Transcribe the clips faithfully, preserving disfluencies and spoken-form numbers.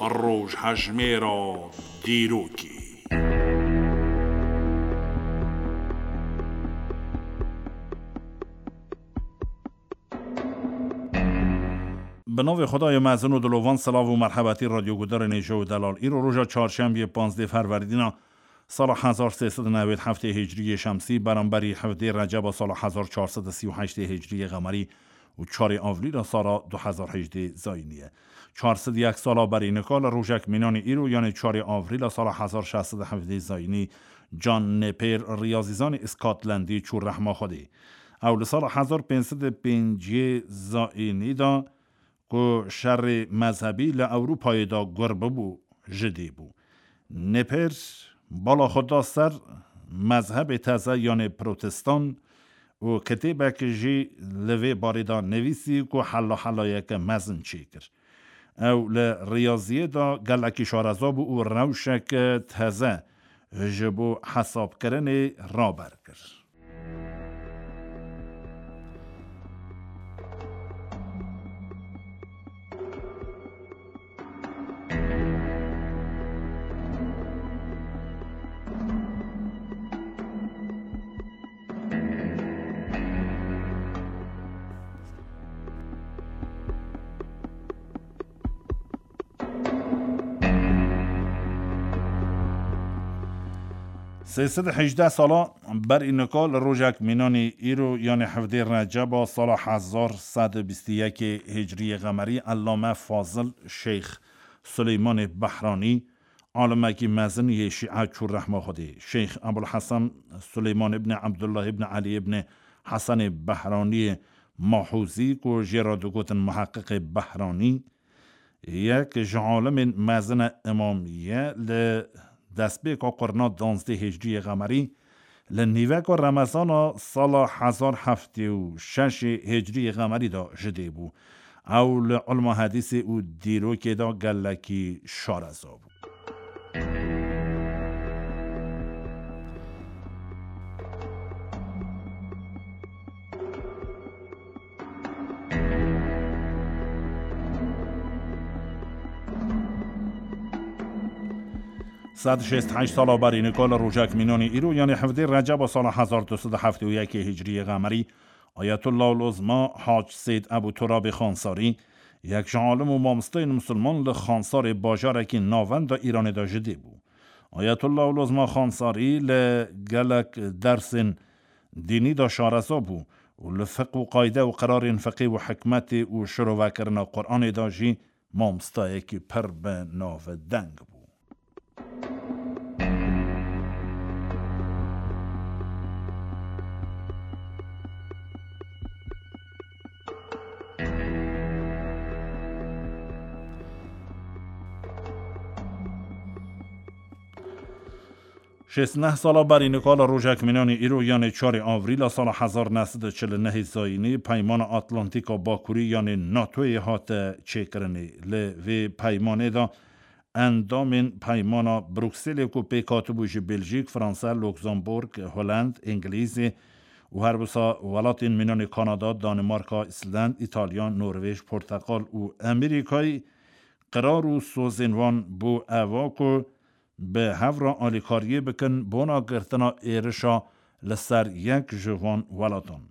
Rojhejmêra dîrokê. Bi navê Xwedayê mezin û dilovan, silav û merhebetî radyogudarên hêja û delal. Îro roja çarşembiyê, panzdeh Ferwerdîna sala hezar sê sed û newêd heftê Hicriyê Şemsî, beramberî hevdê Receba sala hezar çar sed û sî û heştê Hicriyê Qemerî û çarê Avrîla sala du hezar hejdê Zayînî ye. Çar sed û yek sala berî nika li rojek mînanî îro, yanê çarê Avrîla sala hezar şeş sed û hevdê Zayînî, John Napier, riyazîzanê Îskotlandî, çû rehma Xwedê. Ew li sala hezar pênc sed û pêncî Zayînî de, ku şerê mezhebî li Ewropayê de gur bibû, ji dê bû. Napier bala xwe da ser mezhebê teze, yanê protestan, û kitêbek jî li vê barê de nivîsî ku hela helayeke mezin çêkir. Ew li riyaziyê de gelekî şareza bû û rewşeke teze ji bo hesabkirinê raber kir. Sê sed û hejdeh sala berî nika li rojek mînanî îro, yanê hevdê Receba sala hezar sed û bîst û yekê Hicriyê Qemerî, Ellame Fazil Şeyx Suleymanê Behranî, alimekî mezin yê Şîe, çû rehma Xwedê. Şeyx Ebul Hesen Suleyman ibn Abdullah ibn Ali ibn Hesenê Behraniyê Mahûzî, ku jê re digotin Muheqiqê Behranî, yek ji alimên mezin e, îmamî ye. Li destpêka qurna danzdeh Hicriyê Qemerî, li nîveka Remezana sala hezar heftê û şeşê Hicriyê Qemerî de ji dê bû. Ew li ilma hedîsê û dîrokê de gelekî şareza bû. Sed şêst heşt sala berî nika li rojek mînanî îro, yanê hevdê Receba sala hezar du sed û heftê û yekê Hicriyê Qemerî, Ayetullah Uluzma Hac Seyd Ebu Turabê Xansarî, yek ji alim û mamosteyên misilman, li Xansarê, bajarekî navenda Îranê de ji dê bû. Ayetullah Uluzma Xansarî li gelek dersên dînî de şareza bû û li fiqh û qayde û qirarên fiqhê û hikmetê û şirovekirina Quranê de jî mamostayekî pir bi navdeng bû. Şêst neh sala berî nika li rojek mînanî îro, yanê çarê Avrîla sala hezar neh sed û çil û nehê Zayînî, Peymana Atlantîka Bakurî, yanê NATOyê hate çêkirinê. Li vê peymanê de endamên Peymana Brukselê, ku pêk hatibû ji Beljîk, Fransa, Luksemburg, Holland, Îngilîzê û her wisa welatên mînanê Kanada, Danimarka, Îsland, Îtalya, Norvêj, Porteqal û Amerîkayê, qirar û sozên wan bû eva ku bi hev re alîkariyê bikin bona girtina êrişa li ser yek ji van welatan.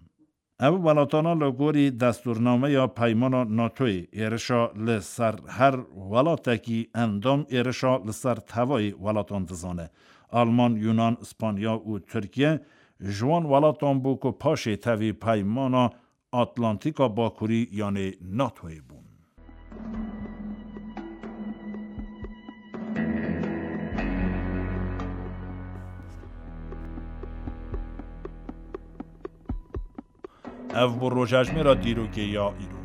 Ev welatana li gorî destûrnameya Peymana NATOyê êrişa li ser her welatekî endam êrişa li ser tevayê welatan dizane. Alman, Yunan, Îspanya û Tirkiye ji wan welatan bû ku paşê tevî Peymana Atlantîka Bakurî, yanê NATOyê bûn. Ev bû rojhejmêra dîrokê ya îro.